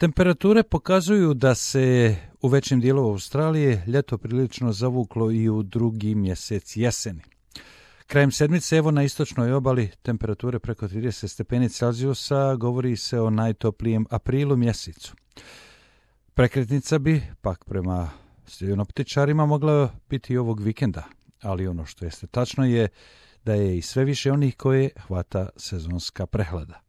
Temperature pokazuju da se u većem dijelu Australije ljeto prilično zavuklo i u drugi mjesec jeseni. Krajem sedmice, evo na istočnoj obali, temperature preko 30 stepeni Celzijusa, govori se o najtoplijem aprilu mjesecu. Prekretnica bi, pak prema sinoptičarima, mogla biti ovog vikenda, ali ono što jeste tačno je da je i sve više onih koje hvata sezonska prehlada.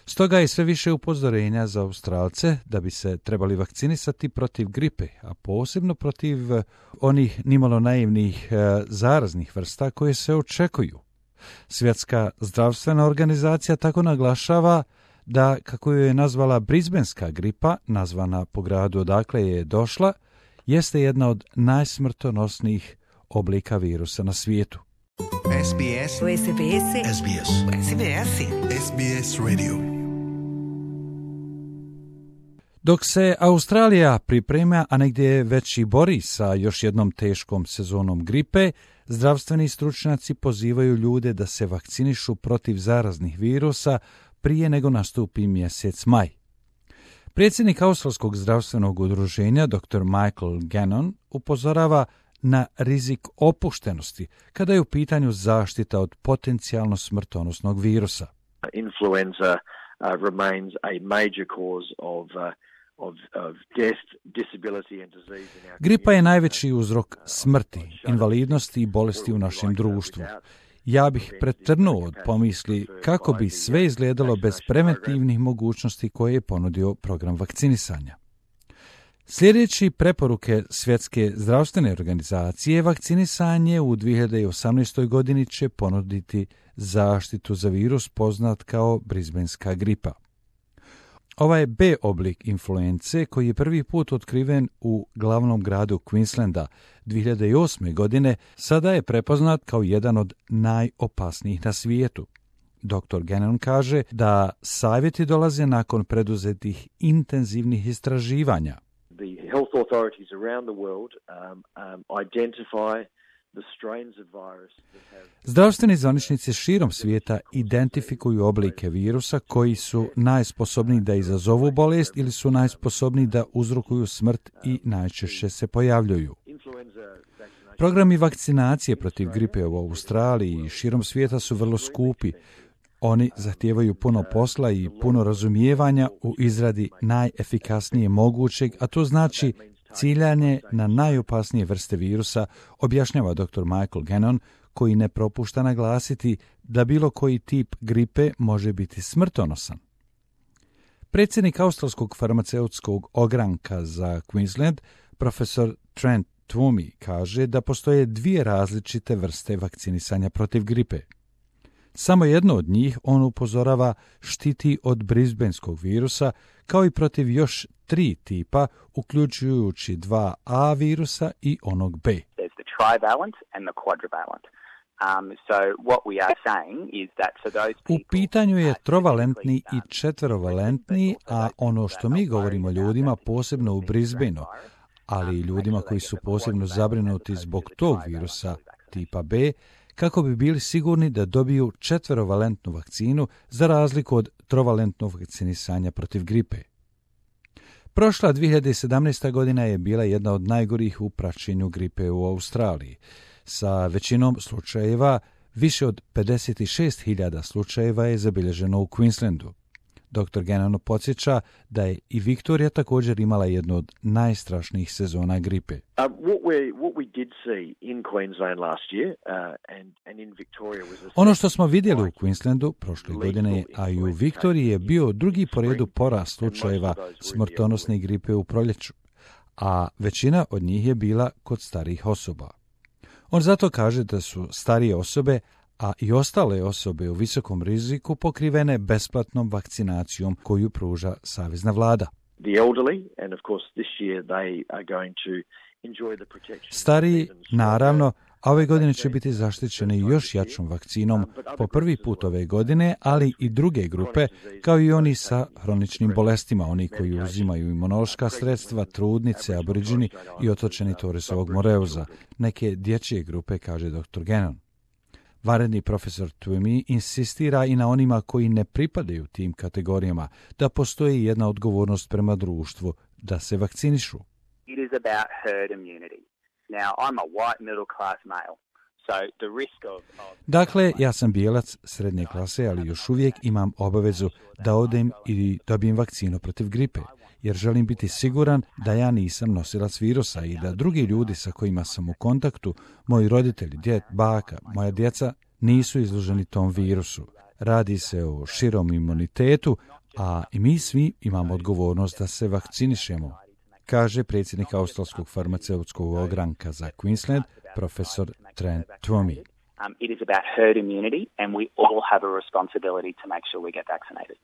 Stoga je sve više upozorenja za Australce da bi se trebali vakcinisati protiv gripe, a posebno protiv onih nimalo naivnih zaraznih vrsta koje se očekuju. Svjetska zdravstvena organizacija tako naglašava da, kako je nazvala brisbenska gripa, nazvana po gradu odakle je došla, jeste jedna od najsmrtonosnijih oblika virusa na svijetu. SBS Radio. Dok se Australija priprema, a negdje već i bori sa još jednom teškom sezonom gripe, zdravstveni stručnjaci pozivaju ljude da se vakcinišu protiv zaraznih virusa prije nego nastupi mjesec maj. Predsjednik Australskog zdravstvenog udruženja, dr. Michael Gannon, upozorava na rizik opuštenosti kada je u pitanju zaštita od potencijalno smrtonosnog virusa. Influenza remains a major cause of death, disability and disease in our Gripa je najveći uzrok smrti, invalidnosti i bolesti u našem društvu. Ja bih pretrnuo od pomisli kako bi sve izgledalo bez preventivnih mogućnosti koje je ponudio program vakcinisanja. Sljedeći preporuke Svjetske zdravstvene organizacije, vakcinisanje u 2018. godini će ponuditi zaštitu za virus poznat kao brisbenska gripa. Ovaj B oblik influence, koji je prvi put otkriven u glavnom gradu Queenslanda 2008. godine, sada je prepoznat kao jedan od najopasnijih na svijetu. Dr. Gannon kaže da savjeti dolaze nakon preduzetih intenzivnih istraživanja. The health authorities around the world identify the strains of virus that have... Zdravstveni zvaničnici širom svijeta identifikuju oblike virusa koji su najsposobniji da izazovu bolest ili su najsposobniji da uzrokuju smrt i najčešće se pojavljuju. Programi vakcinacije protiv gripe u Australiji i širom svijeta su vrlo skupi. Oni zahtijevaju puno posla i puno razumijevanja u izradi najefikasnije mogućeg, a to znači ciljanje na najopasnije vrste virusa, objašnjava dr. Michael Gannon, koji ne propušta naglasiti da bilo koji tip gripe može biti smrtonosan. Predsjednik Australskog farmaceutskog ogranka za Queensland, profesor Trent Twomey, kaže da postoje dvije različite vrste vakcinisanja protiv gripe. Samo jedno od njih, on upozorava, štiti od brisbenskog virusa, kao i protiv još 3 tipa, uključujući 2A virusa i onog B. U pitanju je trovalentni i četvrovalentni, a ono što mi govorimo ljudima, posebno u Brisbaneu, ali i ljudima koji su posebno zabrinuti zbog tog virusa tipa B, kako bi bili sigurni da dobiju četverovalentnu vakcinu za razliku od trovalentnog vakcinisanja protiv gripe. Prošla 2017. godina je bila jedna od najgorih u praćenju gripe u Australiji. Sa većinom slučajeva, više od 56.000 slučajeva je zabilježeno u Queenslandu. Dr. Gannon podsjeća da je i Viktorija također imala jednu od najstrašnijih sezona gripe. Ono što smo vidjeli u Queenslandu prošle godine, a i u Viktoriji, je bio drugi po redu porast slučajeva smrtonosne gripe u proljeću, a većina od njih je bila kod starijih osoba. On zato kaže da su starije osobe, a i ostale osobe u visokom riziku, pokrivene besplatnom vakcinacijom koju pruža savezna vlada. Stariji, naravno, a ove godine će biti zaštićeni još jačom vakcinom po prvi put ove godine, ali i druge grupe, kao i oni sa hroničnim bolestima, oni koji uzimaju imunološka sredstva, trudnice, aboriđini i otočeni Torresovog Moreuza, neke dječje grupe, kaže dr. Gannon. Vanredni profesor Twomey insistira i na onima koji ne pripadaju tim kategorijama da postoji jedna odgovornost prema društvu da se vakcinišu. It is about herd immunity. Now, I'm a white middle class male. Dakle, ja sam bijelac srednje klase, ali još uvijek imam obavezu da odem i dobijem vakcinu protiv gripe, jer želim biti siguran da ja nisam nosilac virusa i da drugi ljudi sa kojima sam u kontaktu, moji roditelji, djed, baka, moja djeca, nisu izloženi tom virusu. Radi se o širom imunitetu, a i mi svi imamo odgovornost da se vakcinišemo, kaže predsjednik australskog farmaceutskog ogranka za Queensland, profesor Trent Twomey. It is about herd immunity and we all have a responsibility to make sure we get vaccinated.